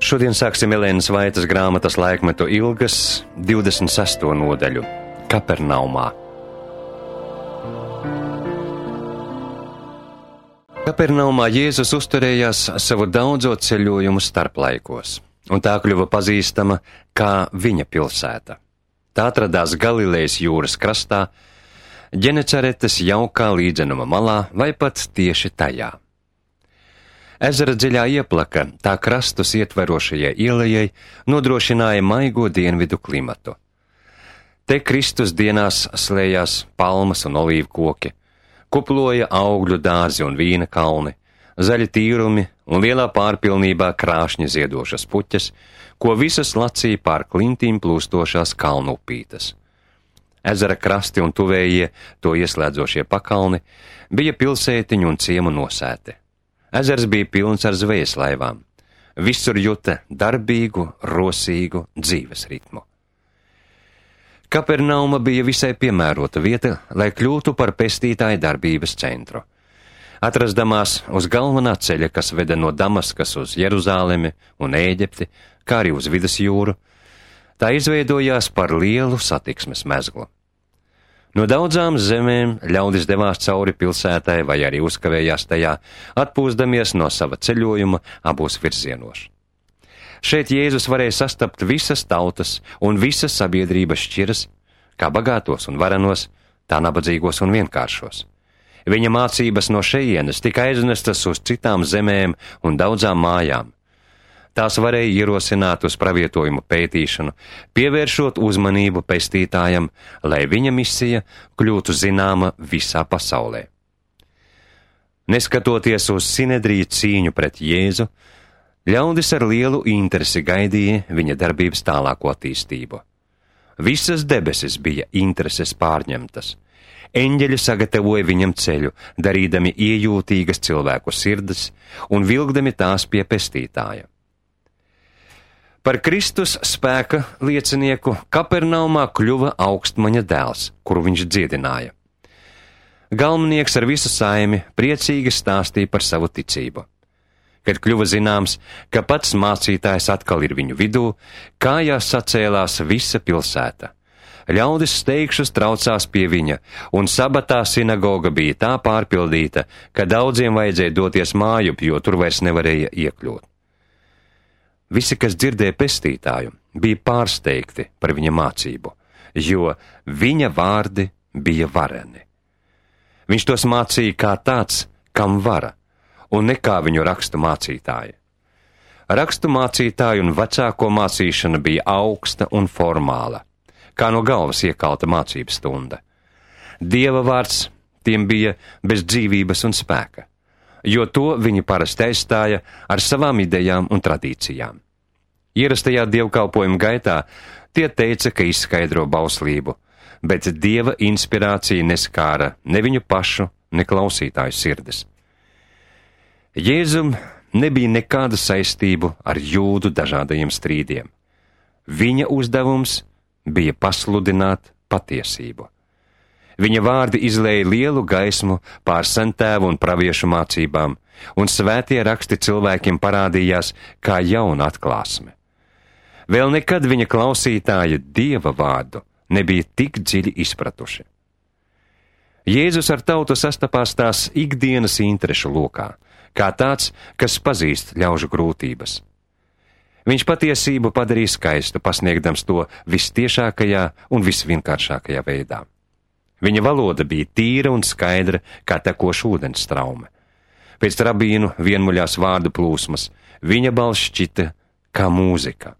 Šodien sāksim Elēnas Vaitas grāmatas Laikmetu ilgas 26. nodaļu Kapernaumā. Kapernaumā Jēzus uzturējās savu daudzo ceļojumu starplaikos, un tā kļuva pazīstama kā viņa pilsēta. Tā atradās Galilejas jūras krastā, Ģenecaretes jaukā līdzenuma malā vai pat tieši tajā. Ezera dziļā ieplaka tā krastus ietverošajai ielejai nodrošināja maigo dienvidu klimatu. Te Kristus dienās slējās palmas un olīvu koki, kuploja augļu dārzi un vīna kalni, zaļi tīrumi un lielā pārpilnībā krāšņi ziedošas puķes, ko visas lacīja pār klintīm plūstošās kalnu upītes. Ezera krasti un tuvējie to ieslēdzošie pakalni bija pilsētiņu un ciemu nosēti. Ezers bija pilns ar zvejas laivām. Visur juta darbīgu, rosīgu dzīves ritmu. Kapernauma bija visai piemērota vieta, lai kļūtu par pestītāja darbības centru. Atrasdamās uz galvenā ceļa, kas veda no Damaskas uz Jeruzālemi un Ēģipti, kā arī uz Vidusjūru, tā izveidojās par lielu satiksmes mezglu. No daudzām zemēm ļaudis devās cauri pilsētai vai arī uzkavējās tajā, atpūsdamies no sava ceļojuma abos virzienos. Šeit Jēzus varēja sastapt visas tautas un visas sabiedrības šķiras, kā bagātos un varenos, tā nabadzīgos un vienkāršos. Viņa mācības no šejienes tika aiznestas uz citām zemēm un daudzām mājām. Tās varēja ierosināt uz pravietojumu pētīšanu, pievēršot uzmanību pestītājam, lai viņa misija kļūtu zināma visā pasaulē. Neskatoties uz Sinedriju cīņu pret Jēzu, ļaudis ar lielu interesi gaidīja viņa darbības tālāko attīstību. Visas debesis bija intereses pārņemtas. Eņģeļi sagatavoja viņam ceļu, darīdami iejūtīgas cilvēku sirdis un vilkdami tās pie pestītāja. Par Kristus spēka liecinieku Kapernaumā kļuva augstmaņa dēls, kuru viņš dziedināja. Galvenieks ar visu saimi priecīgi stāstīja par savu ticību. Kad kļuva zināms, ka pats mācītājs atkal ir viņu vidū, kājās sacēlās visa pilsēta. Ļaudis steigšus traucās pie viņa, un sabatā sinagoga bija tā pārpildīta, ka daudziem vajadzēja doties mājup, jo tur vairs nevarēja iekļūt. Visi, kas dzirdēja pestītāju, bija pārsteigti par viņa mācību, jo viņa vārdi bija vareni. Viņš tos mācīja kā tāds, kam vara, un ne kā viņu rakstu mācītāji. Rakstu mācītāju un vecāko mācīšana bija augsta un formāla, kā no galvas iekalta mācības stunda. Dieva vārds tiem bija bez dzīvības un spēka, jo to viņi parasti aizstāja ar savām idejām un tradīcijām. Ierastajā dievkalpojuma gaitā tie teica, ka izskaidro bauslību, bet Dieva inspirācija neskāra ne viņu pašu, ne klausītāju sirdis. Jēzum nebija nekāda saistību ar jūdu dažādajiem strīdiem. Viņa uzdevums bija pasludināt patiesību. Viņa vārdi izlēja lielu gaismu pār sentēvu un praviešu mācībām, un svētie raksti cilvēkiem parādījās kā jauna atklāsme. Vēl nekad viņa klausītāji Dieva vārdu nebija tik dziļi izpratuši. Jēzus ar tautu sastapās tās ikdienas interešu lokā, kā tāds, kas pazīst ļaužu grūtības. Viņš patiesību padarīja skaistu, pasniegdams to vistiešākajā un visvienkāršākajā veidā. Viņa valoda bija tīra un skaidra, kā tekoša ūdens straume. Pēc rabīnu vienmuļās vārdu plūsmas viņa balss šķita kā mūzika.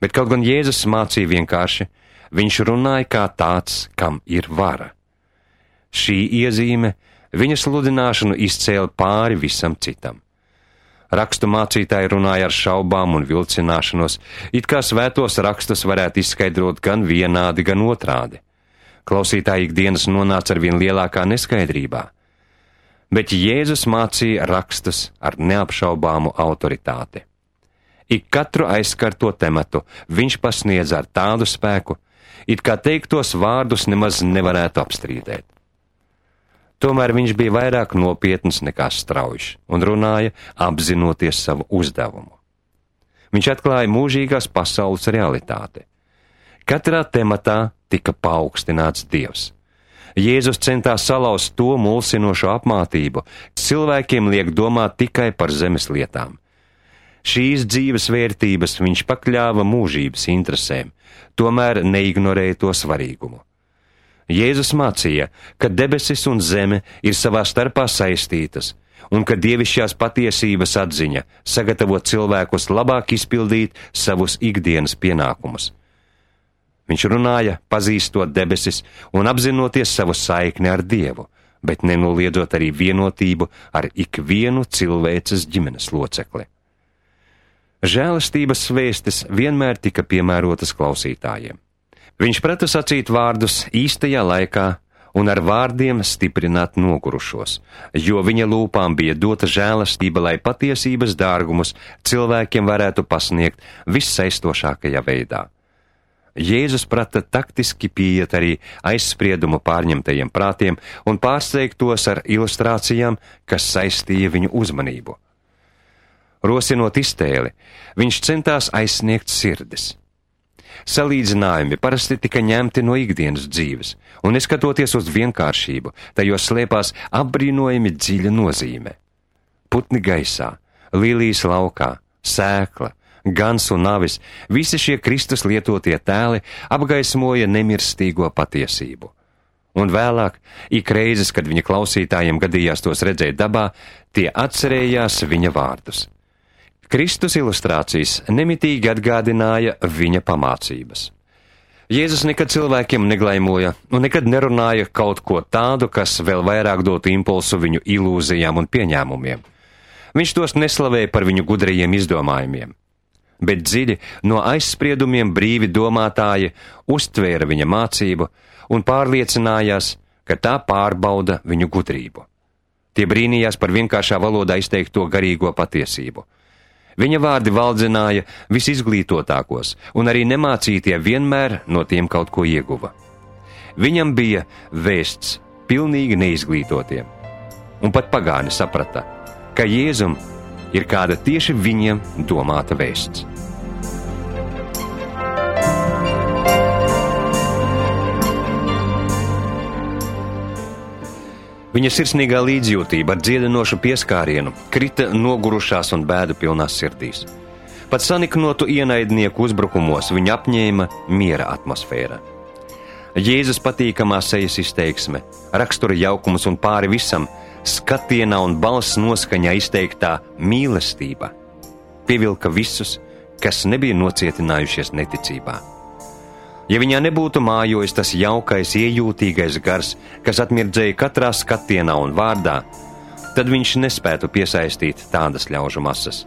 Bet kaut gan Jēzus mācīja vienkārši, viņš runāja kā tāds, kam ir vara. Šī iezīme viņa sludināšanu izcēla pāri visam citam. Rakstu mācītāji runāja ar šaubām un vilcināšanos, it kā svētos rakstus varētu izskaidrot gan vienādi, gan otrādi. Klausītāji ikdienas nonāca ar vien lielākā neskaidrībā, bet Jēzus mācīja rakstus ar neapšaubāmu autoritāti. Ik katru aizskarto tematu viņš pasniedza ar tādu spēku, it kā teiktos vārdus nemaz nevarētu apstrīdēt. Tomēr viņš bija vairāk nopietns nekā straujš un runāja apzinoties savu uzdevumu. Viņš atklāja mūžīgās pasaules realitāti. Katrā tematā tika paaugstināts Dievs. Jēzus centās salauzt to mulsinošo apmātību, kas cilvēkiem liek domāt tikai par zemes lietām. Šīs dzīves vērtības viņš pakļāva mūžības interesēm, tomēr neignorēja to svarīgumu. Jēzus mācīja, ka debesis un zeme ir savā starpā saistītas, un ka dievišķās patiesības atziņa sagatavo cilvēkus labāk izpildīt savus ikdienas pienākumus. Viņš runāja, pazīstot debesis un apzinoties savu saikni ar Dievu, bet nenoliedzot arī vienotību ar ikvienu cilvēces ģimenes locekli. Žēlastības vēstis vienmēr tika piemērotas klausītājiem. Viņš prata sacīt vārdus īstajā laikā un ar vārdiem stiprināt nogurušos, jo viņa lūpām bija dota žēlastība, lai patiesības dārgumus cilvēkiem varētu pasniegt vissaistošākajā veidā. Jēzus prata taktiski pieiet arī aizspriedumu pārņemtajiem prātiem un pārsteigt tos ar ilustrācijām, kas saistīja viņu uzmanību. Rosinot iztēli, viņš centās aizsniegt sirdis. Salīdzinājumi parasti tika ņemti no ikdienas dzīves, un neskatoties uz vienkāršību, tajos slēpās apbrīnojami dziļa nozīme. Putni gaisā, līlijas laukā, sēkla, gans un avis, visi šie Kristus lietotie tēli apgaismoja nemirstīgo patiesību. Un vēlāk, ik reizes, kad viņa klausītājiem gadījās tos redzēt dabā, tie atcerējās viņa vārdus. Kristus ilustrācijas nemitīgi atgādināja viņa pamācības. Jēzus nekad cilvēkiem neglaimoja un nekad nerunāja kaut ko tādu, kas vēl vairāk dotu impulsu viņu ilūzijām un pieņēmumiem. Viņš tos neslavēja par viņu gudrajiem izdomājumiem, bet dziļi no aizspriedumiem brīvi domātāji uztvēra viņa mācību un pārliecinājās, ka tā pārbauda viņu gudrību. Tie brīnījās par vienkāršā valodā izteikto garīgo patiesību. Viņa vārdi valdzināja visizglītotākos, un arī nemācītie vienmēr no tiem kaut ko ieguva. Viņam bija vēsts pilnīgi neizglītotiem, un pat pagāni saprata, ka Jēzum ir kāda tieši viņiem domāta vēsts. Viņa sirsnīgā līdzjūtība ar dziedinošu pieskārienu krita nogurušās un bēdu pilnās sirdīs. Pat saniknotu ienaidnieku uzbrukumos viņa apņēma miera atmosfēra. Jēzus patīkamā sejas izteiksme, rakstura jaukums un pāri visam skatienā un balss noskaņā izteiktā mīlestība pievilka visus, kas nebija nocietinājušies neticībā. Ja viņā nebūtu mājojis tas jaukais, iejūtīgais gars, kas atmirdzēja katrā skatienā un vārdā, tad viņš nespētu piesaistīt tādas ļaužu masas.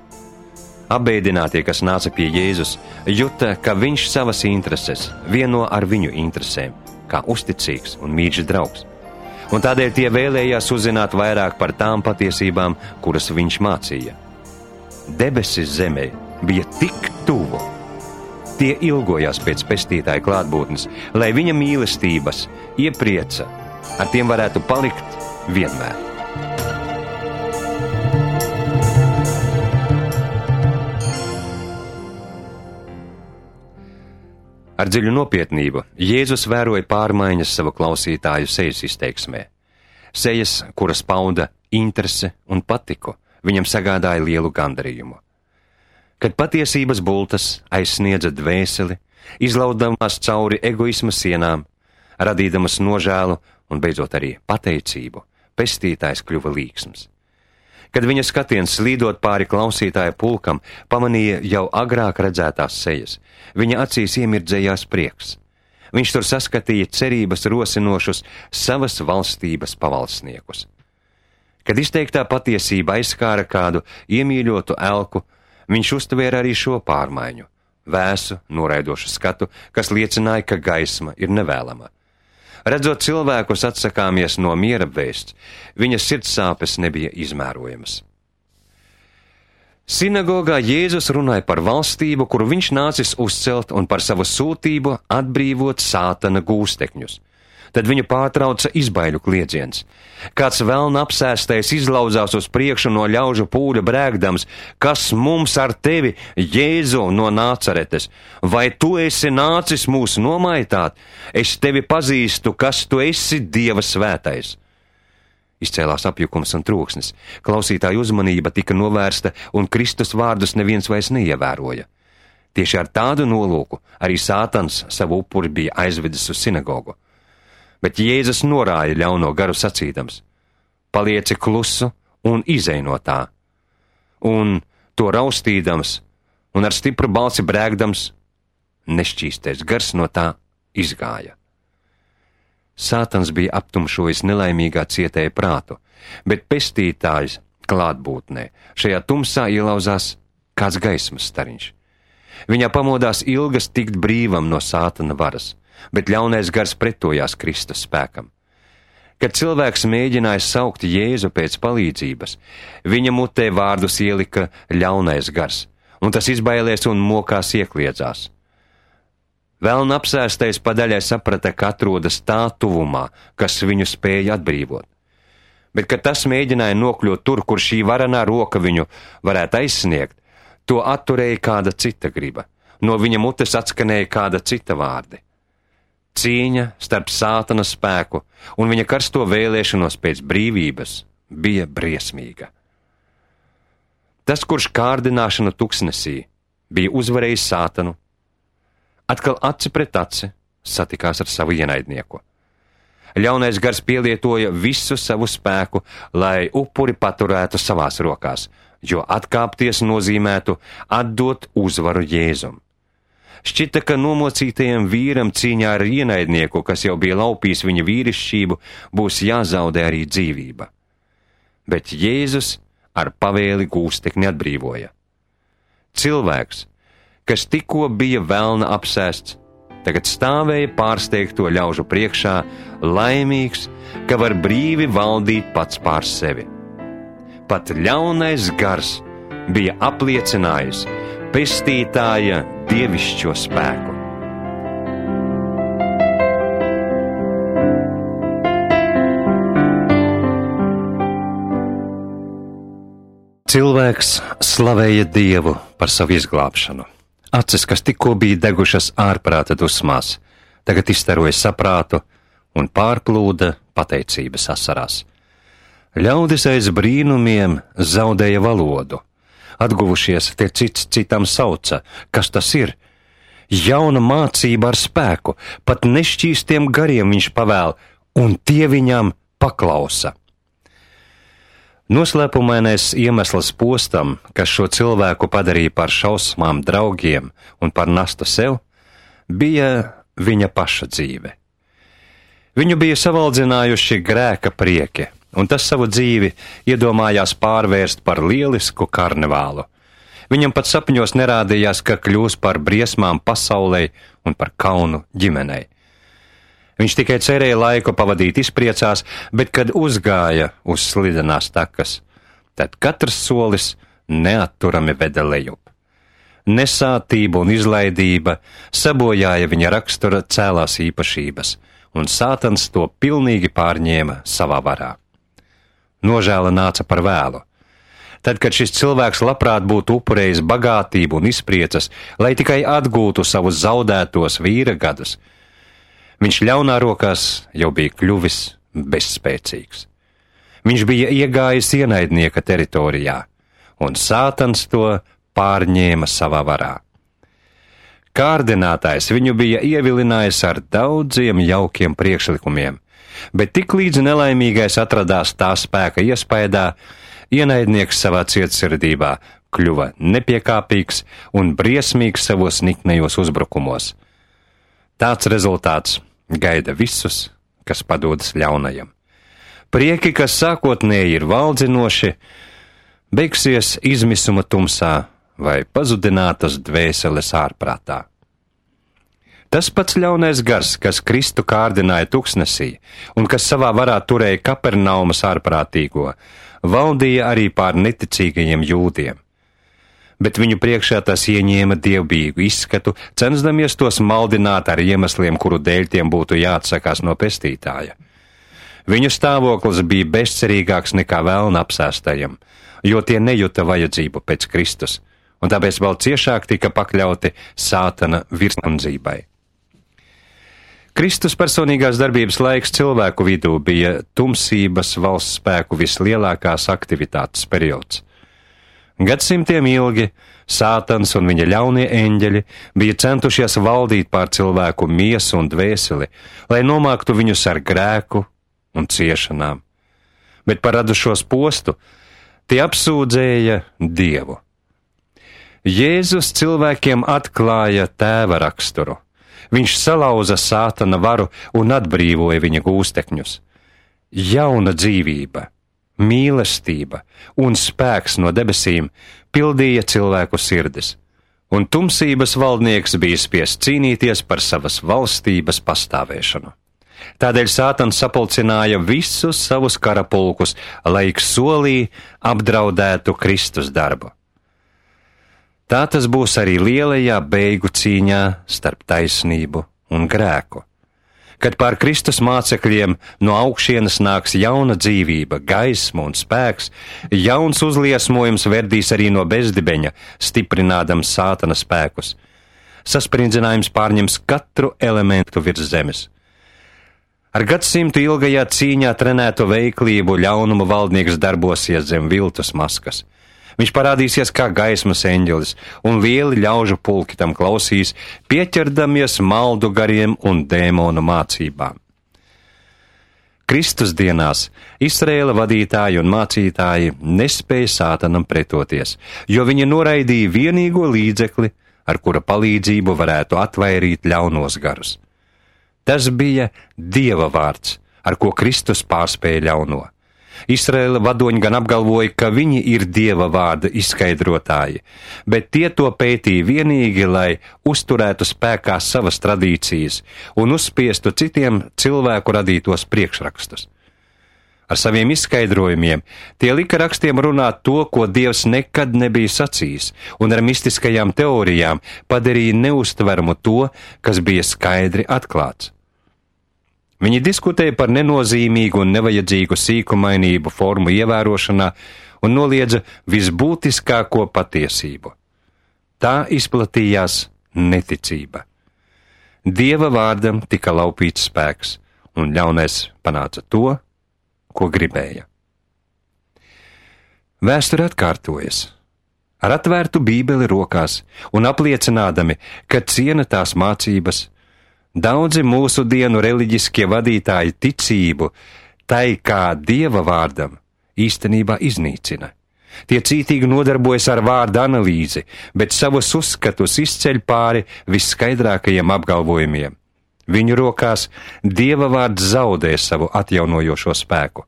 Abēdinātie, kas nāca pie Jēzus, juta, ka viņš savas intereses vieno ar viņu interesēm, kā uzticīgs un mīļš draugs. Un tādēļ tie vēlējās uzzināt vairāk par tām patiesībām, kuras viņš mācīja. Debesis zemē bija tik tuvu. Tie ilgojās pēc pestītāja klātbūtnes, lai viņa mīlestības, ieprieca, ar tiem varētu palikt vienmēr. Ar dziļu nopietnību Jēzus vēroja pārmaiņas savu klausītāju sejas izteiksmē. Sejas, kuras pauda interese un patiku, viņam sagādāja lielu gandarījumu. Kad patiesības bultas aizsniedza dvēseli, izlaudamās cauri egoisma sienām, radīdamas nožēlu un beidzot arī pateicību, pestītājs kļuva līksms. Kad viņa skatiens slīdot pāri klausītāja pulkam, pamanīja jau agrāk redzētās sejas, viņa acīs iemirdzējās prieks. Viņš tur saskatīja cerības rosinošus savas valstības pavalsniekus. Kad izteiktā patiesība aizskāra kādu iemīļotu elku, viņš uztvēra arī šo pārmaiņu, vēsu, noraidošu skatu, kas liecināja, ka gaisma ir nevēlama. Redzot cilvēkus atsakāmies no miera vēsts, viņa sirdsāpes nebija izmērojamas. Sinagogā Jēzus runāja par valstību, kuru viņš nācis uzcelt, un par savu sūtību atbrīvot sātana gūstekņus. Tad viņu pārtrauca izbaiļu kliedziens. Kāds velna apsēstais izlauzās uz priekšu no ļaužu pūļa brēgdams: kas mums ar tevi, Jēzu no Nācaretes? Vai tu esi nācis mūs nomaitāt? Es tevi pazīstu, kas tu esi, Dieva svētais. Izcēlās apjukums un troksnis. Klausītāju uzmanība tika novērsta, un Kristus vārdus neviens vairs neievēroja. Tieši ar tādu nolūku arī Sātans savu upuri bija aizvedis uz sinagogu. Bet Jēzus norāja ļauno garu sacīdams: palieci klusu un izej no tā. Un to raustīdams un ar stipru balsi brēgdams, nešķīstais gars no tā izgāja. Sātans bija aptumšojis nelaimīgā cietēja prātu, bet pestītājs klātbūtnē šajā tumsā ielauzās kāds gaismas stariņš. Viņā pamodās ilgas tikt brīvam no Sātana varas, bet ļaunais gars pretojās Kristus spēkam. Kad cilvēks mēģināja saukt Jēzu pēc palīdzības, viņa mutē vārdus ielika ļaunais gars, un tas izbailēs un mokās iekliedzās. Velna apsēstais padaļai saprata, ka atrodas tā tuvumā, kas viņu spēja atbrīvot. Bet, kad tas mēģināja nokļūt tur, kur šī varenā roka viņu varētu aizsniegt, to atturēja kāda cita griba. No viņa mutes atskanēja kāda cita vārdi. Cīņa starp Sātana spēku un viņa karsto vēlēšanos pēc brīvības bija briesmīga. Tas, kurš kārdināšanu tuksnesī bija uzvarējis Sātanu, atkal aci pret aci satikās ar savu ienaidnieku. Ļaunais gars pielietoja visu savu spēku, lai upuri paturētu savās rokās, jo atkāpties nozīmētu atdot uzvaru Jēzum. Šķita, ka nomocītajam vīram cīņā ar ienaidnieku, kas jau bija laupījis viņa vīrišķību, būs jāzaudē arī dzīvība. Bet Jēzus ar pavēli gūstekni atbrīvoja. Cilvēks, kas tikko bija velna apsēsts, tagad stāvēja pārsteigto ļaužu priekšā, laimīgs, ka var brīvi valdīt pats pār sevi. Pat ļaunais gars bija apliecinājis pestītāja dievišķo spēku. Cilvēks slavēja Dievu par savu izglābšanu. Acis, kas tikko bija degušas ārprāta dusmās, tagad izstaroja saprātu un pārplūda pateicības asarās. Ļaudis aiz brīnumiem zaudēja valodu. Atguvušies, tie cits citam sauca: kas tas ir? Jauna mācība ar spēku, pat nešķīstiem gariem viņš pavēl, un tie viņam paklausa. Noslēpumainais iemesls postam, kas šo cilvēku padarīja par šausmām draugiem un par nastu sev, bija viņa paša dzīve. Viņu bija savaldzinājuši grēka prieki, un tas savu dzīvi iedomājās pārvērst par lielisku karnevālu. Viņam pat sapņos nerādījās, ka kļūs par briesmām pasaulei un par kaunu ģimenei. Viņš tikai cerēja laiku pavadīt izpriecās, bet kad uzgāja uz slidenās takas, tad katrs solis neatturami veda lejup. Nesātība un izlaidība sabojāja viņa rakstura cēlās īpašības, un Sātans to pilnīgi pārņēma savā varā. Nožēla nāca par vēlu. Tad, kad šis cilvēks labprāt būtu upurējis bagātību un izpriecas, lai tikai atgūtu savus zaudētos vīra gadus, viņš ļaunā rokās jau bija kļuvis bezspēcīgs. Viņš bija iegājis ienaidnieka teritorijā, un Sātans to pārņēma savā varā. Kārdinātājs viņu bija ievilinājis ar daudziem jaukiem priekšlikumiem, bet tiklīdz nelaimīgais atradās tā spēka iespaidā, ienaidnieks savā cietsirdībā kļuva nepiekāpīgs un briesmīgs savos niknējos uzbrukumos. Tāds rezultāts gaida visus, kas padodas ļaunajam. Prieki, kas sākotnēji ir valdzinoši, beigsies izmisuma tumsā vai pazudinātas dvēseles ārprātā. Tas pats ļaunais gars, kas Kristu kārdināja tuksnesī un kas savā varā turēja Kapernaumas ārprātīgo, valdīja arī pār neticīgajiem jūdiem. bet viņu priekšā tas ieņēma dievbijīgu izskatu, censdamies tos maldināt ar iemesliem, kuru dēļ tiem būtu jāatsakās no pestītāja. Viņu stāvoklis bija bezcerīgāks nekā velna apsēstajam, jo tie nejuta vajadzību pēc Kristus, un tāpēc vēl ciešāk tika pakļauti Sātana virsnamdzībai. Kristus personīgās darbības laiks cilvēku vidū bija tumsības valsts spēku vislielākās aktivitātes periods. Gadsimtiem ilgi Sātans un viņa ļaunie eņģeļi bija centušies valdīt pār cilvēku miesu un dvēseli, lai nomāktu viņus ar grēku un ciešanām, bet par radušos postu tie apsūdzēja Dievu. Jēzus cilvēkiem atklāja Tēva raksturu. Viņš salauza Sātana varu un atbrīvoja viņa gūstekņus. Jauna dzīvība, mīlestība un spēks no debesīm pildīja cilvēku sirdis, un tumsības valdnieks bija spiests cīnīties par savas valstības pastāvēšanu. Tādēļ Sātans sapulcināja visus savus karapulkus, lai ik solī apdraudētu Kristus darbu. Tā tas būs arī lielajā beigu cīņā starp taisnību un grēku, kad pār Kristus mācekļiem no augšienes nāks jauna dzīvība, gaisma un spēks, jauns uzliesmojums verdīs arī no bezdibeņa, stiprinādams Sātana spēkus. Saspringdzinājums pārņems katru elementu virs zemes. Ar gadsimtu ilgajā cīņā trenēto veiklību ļaunuma valdnieks darbosies zem viltus maskas. Viņš parādīsies kā gaismas eņģelis, un lieli ļaužu pulki tam klausīs, pieķerdamies maldu gariem un dēmonu mācībām. Kristus dienās Izraēla vadītāji un mācītāji nespēja Sātanam pretoties, jo viņi noraidīja vienīgo līdzekli, ar kura palīdzību varētu atvairīt ļaunos garus. Tas bija Dieva vārds, ar ko Kristus pārspēja ļauno. Izraēla vadoņi gan apgalvoja, ka viņi ir Dieva vārda izskaidrotāji, bet tie to pētīja vienīgi, lai uzturētu spēkā savas tradīcijas un uzspiestu citiem cilvēku radītos priekšrakstus. Ar saviem izskaidrojumiem tie lika rakstiem runāt to, ko Dievs nekad nebija sacījis, un ar mistiskajām teorijām padarīja neustveramu to, kas bija skaidri atklāts. Viņi diskutēja par nenozīmīgu un nevajadzīgu sīkumainību formu ievērošanā un noliedza visbūtiskāko patiesību. Tā izplatījās neticība. Dieva vārdam tika laupīts spēks, un ļaunais panāca to, ko gribēja. Vēsture atkārtojas. Ar atvērtu bībeli rokās un apliecinādami, ka ciena tās mācības, daudzi mūsu dienu reliģiskie vadītāji ticību tai kā Dieva vārdam īstenībā iznīcina. Tie cītīgi nodarbojas ar vārdu analīzi, bet savus uzskatus izceļ pāri visskaidrākajiem apgalvojumiem. Viņu rokās Dieva vārds zaudē savu atjaunojošo spēku.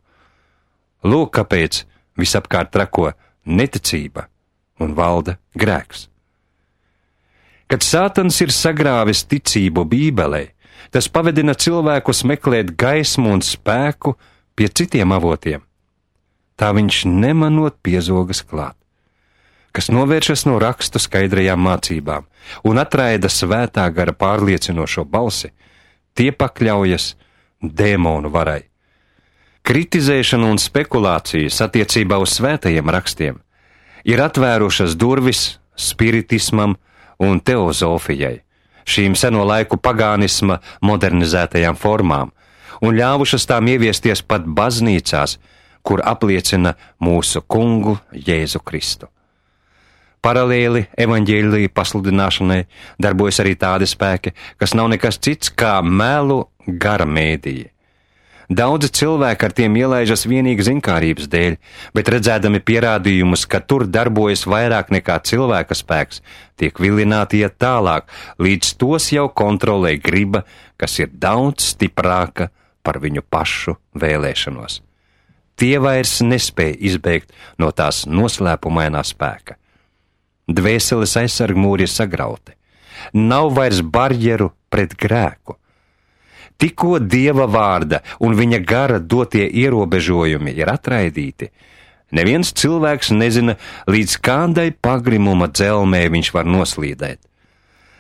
Lūk, kāpēc visapkārt trako neticība un valda grēks. Kad Sātans ir sagrāvis ticību Bībelē, tas pavedina cilvēkus meklēt gaismu un spēku pie citiem avotiem. Tā viņš nemanot piezogas klāt, kas novēršas no rakstu skaidrajām mācībām un atraida svētā gara pārliecinošo balsi, tie pakļaujas dēmonu varai. Kritizēšana un spekulācijas attiecībā uz svētajiem rakstiem ir atvērušas durvis spiritismam un teozofijai, šīm seno laiku pagānisma modernizētajām formām, un ļāvušas tām ieviesties pat baznīcās, kur apliecina mūsu kungu Jēzu Kristu. Paralēli evaņģēlija pasludināšanai darbojas arī tādi spēki, kas nav nekas cits kā melu gara mēdīji. Daudzi cilvēki ar tiem ielaižas vienīgi zinkārības dēļ, bet redzēdami pierādījumus, ka tur darbojas vairāk nekā cilvēka spēks, tiek vilināti iet tālāk, līdz tos jau kontrolē griba, kas ir daudz stiprāka par viņu pašu vēlēšanos. Tie vairs nespēja izbēgt no tās noslēpumainā spēka. Dvēseles aizsargmūri ir sagrauti. Nav vairs barjeru pret grēku. Tikko Dieva vārda un viņa gara dotie ierobežojumi ir atraidīti, Neviens cilvēks nezina, līdz kādai pagrimuma dzelmē viņš var noslīdēt.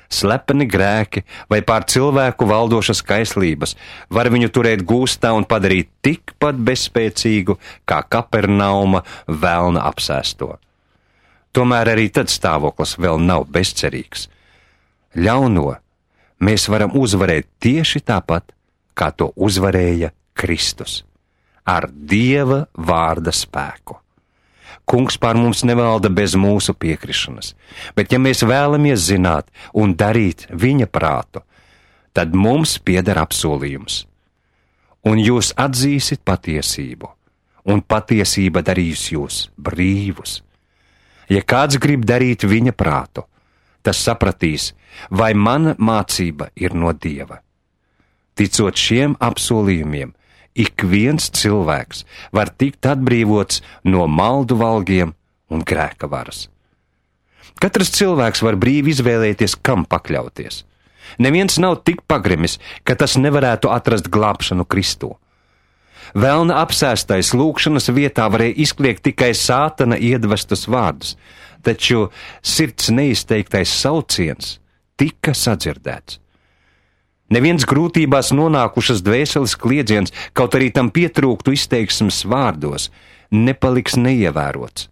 Slepeni grēki vai pār cilvēku valdošas kaislības var viņu turēt gūstā un padarīt tikpat bezspēcīgu kā Kapernauma velna apsēsto. Tomēr arī tad stāvoklis vēl nav bezcerīgs. Ļauno mēs varam uzvarēt tieši tāpat, kā to uzvarēja Kristus, ar Dieva vārda spēku. Kungs pār mums nevalda bez mūsu piekrišanas, bet ja mēs vēlamies zināt un darīt viņa prātu, tad mums pieder apsolījums. Un jūs atzīsit patiesību, un patiesība darīs jūs brīvus. Ja kāds grib darīt viņa prātu, tas sapratīs, vai mana mācība ir no Dieva. Ticot šiem apsolījumiem, ik viens cilvēks var tikt atbrīvots no maldu valgiem un grēka varas. Katrs cilvēks var brīvi izvēlēties, kam pakļauties. Neviens nav tik pagrimis, ka tas nevarētu atrast glābšanu Kristū. Velna apsēstais lūgšanas vietā varēja izkliegt tikai sātana iedvestus vārdus, taču sirds neizteiktais sauciens tika sadzirdēts. Neviens grūtībās nonākušas dvēseles kliedziens, kaut arī tam pietrūktu izteiksmes vārdos, nepaliks neievērots.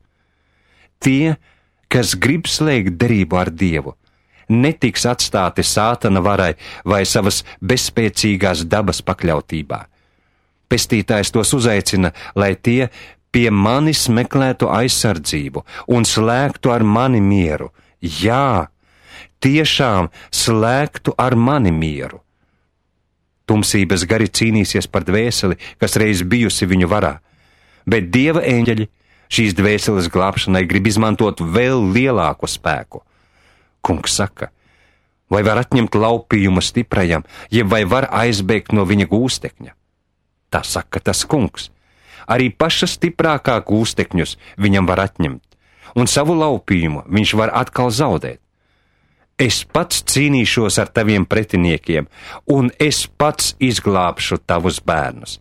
Tie, kas grib slēgt derību ar Dievu, netiks atstāti sātana varai vai savas bezspēcīgās dabas pakļautībā. Pestītājs tos uzaicina, lai tie pie manis meklētu aizsardzību un slēgtu ar mani mieru. Jā, tiešām slēgtu ar mani mieru. Tumsības gari cīnīsies par dvēseli, kas reiz bijusi viņu varā, bet Dieva eņģeļi šīs dvēseles glābšanai grib izmantot vēl lielāku spēku. Kungs saka, vai var atņemt laupījumu stiprajam, jeb vai var aizbēgt no viņa gūstekņa? Tā saka tas Kungs. Arī paša stiprākā gūstekņus viņam var atņemt, un savu laupījumu viņš var atkal zaudēt. Es pats cīnīšos ar taviem pretiniekiem, un es pats izglābšu tavus bērnus.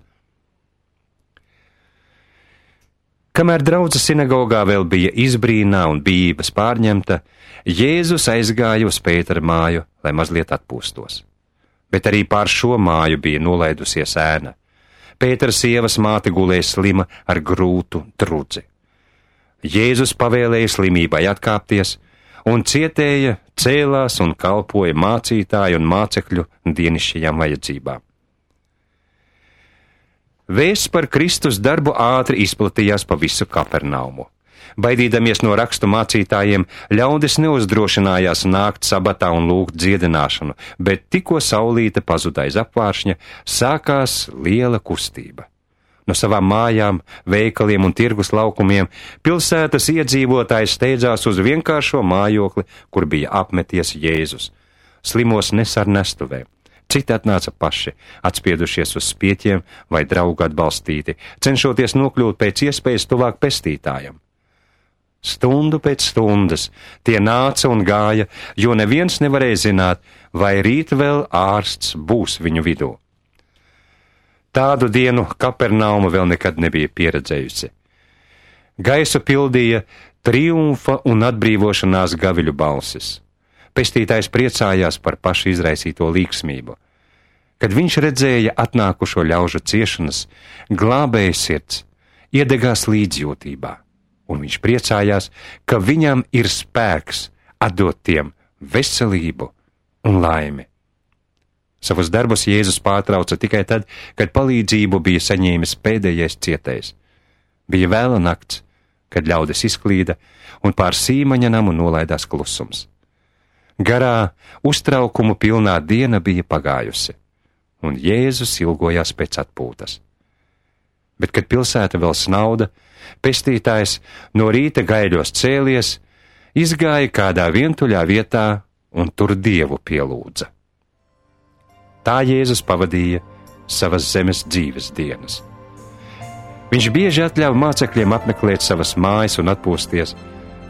Kamēr draudze sinagogā vēl bija izbrīnā un bijības pārņemta, Jēzus aizgāja uz Pētera māju, lai mazliet atpūstos. Bet arī pār šo māju bija nolaidusies ēna. Pētera sievas māte gulēja slima ar grūtu drudzi. Jēzus pavēlēja slimībai atkāpties, un cietēja, cēlās un kalpoja mācītāju un mācekļu dienišķajām vajadzībām. Vēsts par Kristus darbu ātri izplatījās pa visu Kapernaumu. Baidīdamies no rakstu mācītājiem, ļaudis neuzdrošinājās nākt sabatā un lūgt dziedināšanu, bet tikko saulīte pazuda aiz apvāršņa, sākās liela kustība. No savām mājām, veikaliem un tirgus laukumiem pilsētas iedzīvotājs steidzās uz vienkāršo mājokli, kur bija apmeties Jēzus. Slimos nes ar nestuvēm. Citi atnāca paši, atspiedušies uz spieķiem vai draugu atbalstīti, cenšoties nokļūt pēc iespējas tuvāk pestītājam. Stundu pēc stundas tie nāca un gāja, jo neviens nevarēja zināt, vai rīt vēl ārsts būs viņu vidū. Tādu dienu Kapernauma vēl nekad nebija pieredzējusi. Gaisu pildīja triumfa un atbrīvošanās gaviļu balsis. Pestītājs priecājās par pašu izraisīto līgsmību. Kad viņš redzēja atnākušo ļaužu ciešanas, glābēja sirds iedegās līdzjūtībā, un viņš priecājās, ka viņam ir spēks atdot tiem veselību un laimi. Savus darbus Jēzus pārtrauca tikai tad, kad palīdzību bija saņēmis pēdējais cietējs. Bija vēla nakts, kad ļaudis izklīda, un pār Sīmaņa namu nolaidās klusums. Garā, uztraukumu pilnā diena bija pagājusi, un Jēzus ilgojās pēc atpūtas. Bet, kad pilsēta vēl snauda, pestītājs no rīta gaiļos cēlies, izgāja kādā vientuļā vietā un tur Dievu pielūdza. Tā Jēzus pavadīja savas zemes dzīves dienas. Viņš bieži atļāva mācekļiem apmeklēt savas mājas un atpūsties,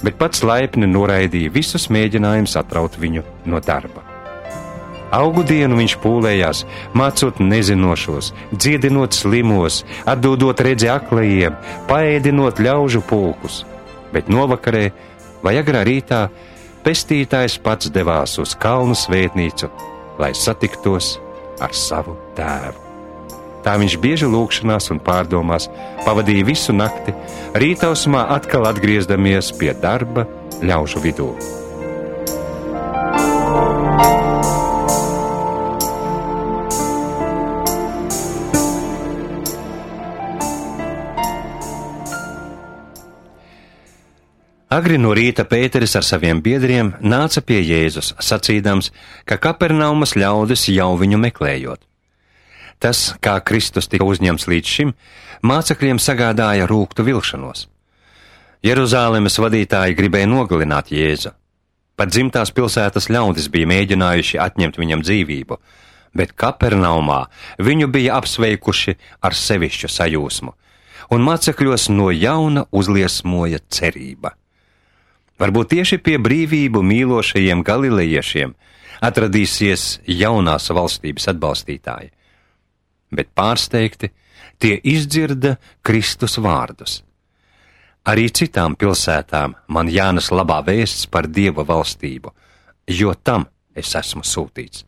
bet pats laipni noraidīja visus mēģinājumus atraut viņu no darba. Augu dienu viņš pūlējās, mācot nezinošos, dziedinot slimos, atdodot redzi aklajiem, paēdinot ļaužu pulkus. Bet novakarē vai agrā rītā pestītājs pats devās uz kalnu svētnīcu, lai satiktos ar savu tēvu. Tā viņš bieži lūgšanās un pārdomās pavadīja visu nakti, rītausmā atkal atgriezdamies pie darba ļaužu vidū. Agri no rīta Pēteris ar saviem biedriem nāca pie Jēzus, sacīdams, ka Kapernaumas ļaudis jau viņu meklējot. Tas, kā Kristus tika uzņemts līdz šim, mācekļiem sagādāja rūgtu vilšanos. Jeruzālemes vadītāji gribēja nogalināt Jēzu. Pat dzimtās pilsētas ļaudis bija mēģinājuši atņemt viņam dzīvību, bet Kapernaumā viņu bija apsveikuši ar sevišķu sajūsmu, un mācekļos no jauna uzliesmoja cerība. Varbūt tieši pie brīvību mīlošajiem galilejiešiem atradīsies jaunās valstības atbalstītāji, bet pārsteigti tie izdzirda Kristus vārdus. Arī citām pilsētām man jānes labā vēsts par Dieva valstību, jo tam es esmu sūtīts.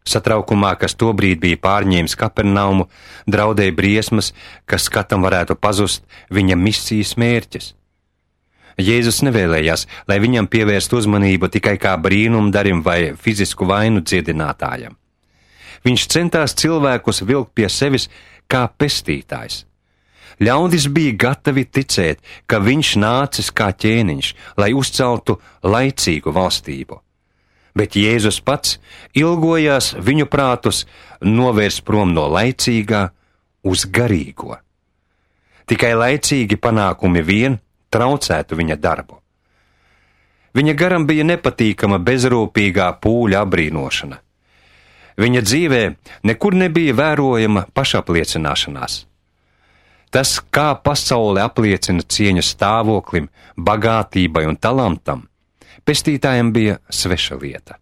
Satraukumā, kas tobrīd bija pārņēmis Kapernaumu, draudēja briesmas, ka skatam varētu pazust viņa misijas mērķis. Jēzus nevēlējās, lai viņam pievērst uzmanību tikai kā brīnumdarim vai fizisku vainu dziedinātājam. Viņš centās cilvēkus vilkt pie sevis kā pestītājs. Ļaudis bija gatavi ticēt, ka viņš nācis kā ķēniņš, lai uzceltu laicīgu valstību. Bet Jēzus pats ilgojās viņu prātus novērst prom no laicīgā uz garīgo. Tikai laicīgi panākumi vien traucētu viņa darbu. Viņa garam bija nepatīkama bezrūpīgā pūļa abrīnošana. Viņa dzīvē nekur nebija vērojama pašapliecināšanās. Tas, kā pasaule apliecina cieņu stāvoklim, bagātībai un talantam, pestītājiem bija sveša lieta.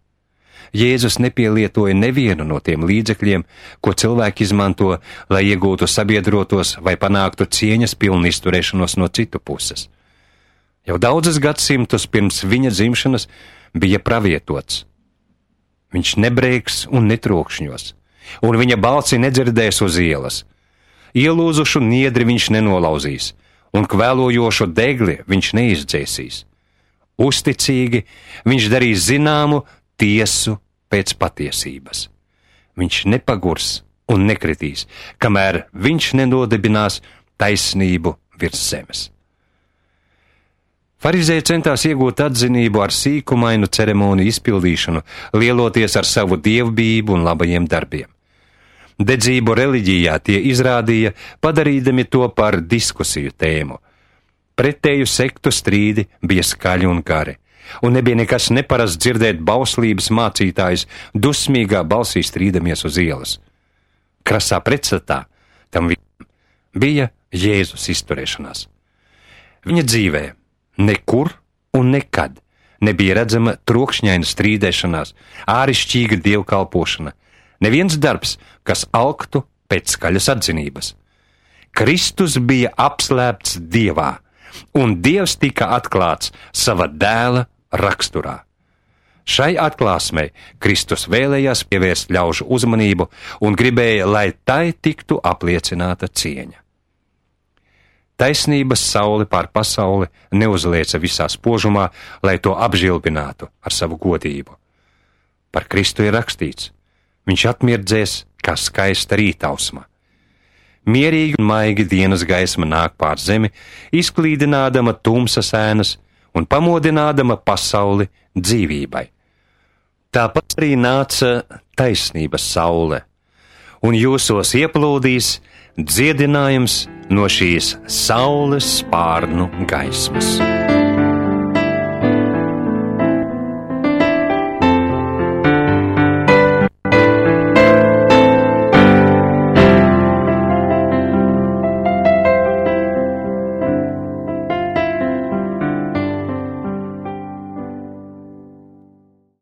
Jēzus nepielietoja nevienu no tiem līdzekļiem, ko cilvēki izmanto, lai iegūtu sabiedrotos vai panāktu cieņas pilnu izturēšanos no citu puses. Jau daudzus gadsimtus pirms viņa dzimšanas bija pravietots. Viņš nebrēks un netrokšņos, un viņa balsi nedzirdēs uz ielas. Ielūzušu niedri viņš nenolauzīs, un kvēlojošu degli viņš neizdzēsīs. Uzticīgi viņš darīs zināmu tiesu pēc patiesības. Viņš nepagurs un nekritīs, kamēr viņš nenodibinās taisnību virs zemes. Farizēji centās iegūt atzinību ar sīkumainu ceremoniju izpildīšanu, lieloties ar savu dievbijību un labajiem darbiem. Dedzību reliģijā tie izrādīja, padarīdami to par diskusiju tēmu. Pretēju sektu strīdi bija skaļi un gari, un nebija nekas neparasts dzirdēt bauslības mācītājus dusmīgā balsī strīdamies uz ielas. Krasā pretstatā tam bija Jēzus izturēšanās. Viņa dzīvē nekur un nekad nebija redzama trokšņaina strīdēšanās, ārišķīga dievkalpošana, neviens darbs, kas alktu pēc skaļas atzinības. Kristus bija apslēpts Dievā, un Dievs tika atklāts sava dēla raksturā. Šai atklāsmei Kristus vēlējās pievērst ļaužu uzmanību un gribēja, lai tai tiktu apliecināta cieņa. Taisnības saule pār pasauli neuzlieca visā spožumā, lai to apžilbinātu ar savu godību. Par Kristu ir rakstīts: viņš atmirdzēs kā skaista rītausma. Mierīgi un maigi dienas gaisma nāk pār zemi, izklīdinādama tumsas ēnas un pamodinādama pasauli dzīvībai. Tāpat arī nāca taisnības saule, un jūsos ieplūdīs dziedinājums no šīs saules spārnu gaismas.